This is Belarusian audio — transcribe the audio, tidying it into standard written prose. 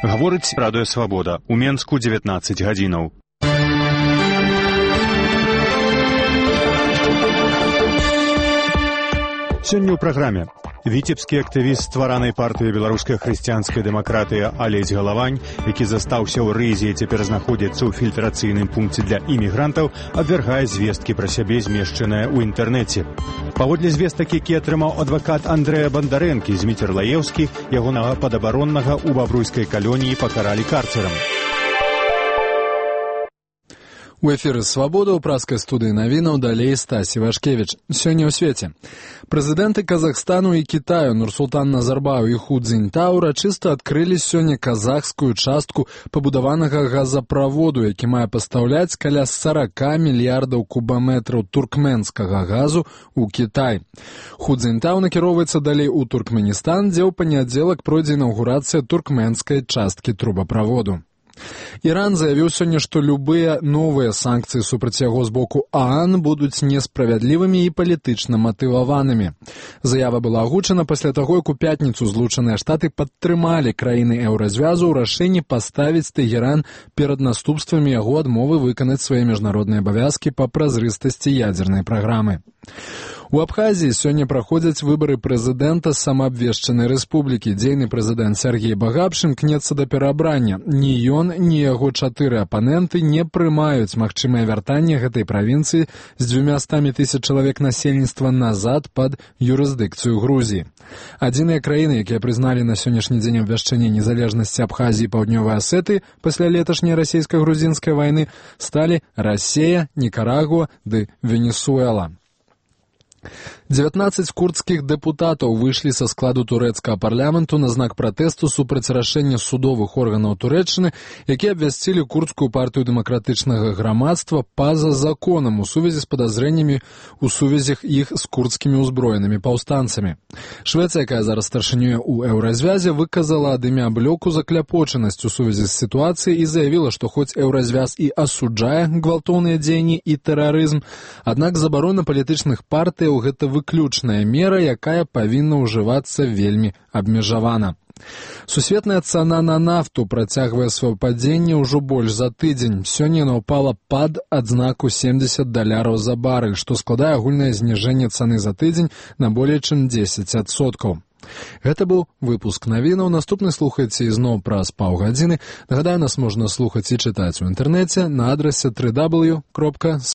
Гаворыць Радыё Свабода. У Менску 19 гадзінаў. Сёння ў праграме. Віцебскі актывіст стваранай партыі беларуская хрысціянская дэмакратыя Алесь Галавань, які застаўся ў рызе і цяпер знаходзіцца ў фільтрацыйным пункце для імігрантаў, абвяргае звесткі пра сябе, змешчаныя ў інтэрнэце. Паводле звестак, які атрымаў адвакат Андрэя Бандарэнкі, Зміцер Лаеўскі, ягонага падабароннага ў бабруйскай калоніі пакаралі карцерам. У эфіры «Свабода» ў праскай студыі навінаў далей Стасі Вашкевіч. Сёння ў свеце. Прэзідэнты Казахстану і Кітаю Нурсултан Назарбаев і Ху Цзіньтау урачыста адкрылі сёння казахскую частку пабудаванага газаправоду, які мае пастаўляць каля 40 мільярдаў кубаметраў туркменскага газу ў Кітай. Ху Цзіньтау накіроўваецца далей у Туркменістан, дзе ў панядзелак пройдзе інаўгурацыя туркменскай часткі трубаправоду. Іран заявіў сёння, што любыя новыя санкцыі супраць яго з боку ААН будуць несправядлівымі і палітычна матываванымі. Заява была агучана пасля таго, як у пятніцу Злучаныя Штаты падтрымалі краіны еўразвязу ў рашэнні паставіць Тэгеран перад наступствамі яго адмовы выканаць свае міжнародныя абавязкі па празрыстасці ядзернай праграмы. У Абхазіі сёння праходзяць выбары прэзідэнта самаабвешчанай рэспублікі. Дзейны прэзідэнт Сергей Багапш імкнецца да пераабрання. Ні ён, ні яго 4 апаненты не прымаюць магчымае вяртанне гэтай правінцыі з 200 000 чалавек насельніцтва назад пад юрысдыкцыю Грузіі. Адзіныя краіны, якія прызналі на сённяшні дзень абвяшчэнне незалежнасці Абхазіі і Паўднёвай Асетыі пасля леташняй расійска-грузінскай вайны, сталі Расія, Нікарагуа ды Венесуэла. 19 курдскіх дэпутатаў выйшлі са складу турэцкага парламенту на знак пратэсту супраць рашэння судовых органаў Турэччыны, якія абвясцілі курдскую партыю дэмакратычнага грамадства па-за законам у сувязі з падазрэннямі ў сувязях іх з курдскімі ўзброенымі паўстанцамі. Швецыя, якая зараз старшынюе ў еўразвязе, выказала ад імя блоку закляпочанасць у сувязі з сітуацыяй і заявіла, што хоць еўразвяз і асуджае гвалтоўныя дзеянні і тэрарызм, аднак забарона палітычных партый гэта выключная мера, якая павінна ўжывацца вельмі абмежавана. Сусветная цана на нафту працягвае сваё падзенне ўжо больш за тыдзень. Сёння яна ўпала пад адзнаку $70 за барэль, што складае агульнае зніжэнне цаны за тыдзень на болей чым 10%. Гэта быў выпуск навінаў. Наступны слухайце ізноў праз паўгадзіны. Нагадаю, нас можна слухаць і чытаць у інтэрнэце на адрасе www.swobodna.org.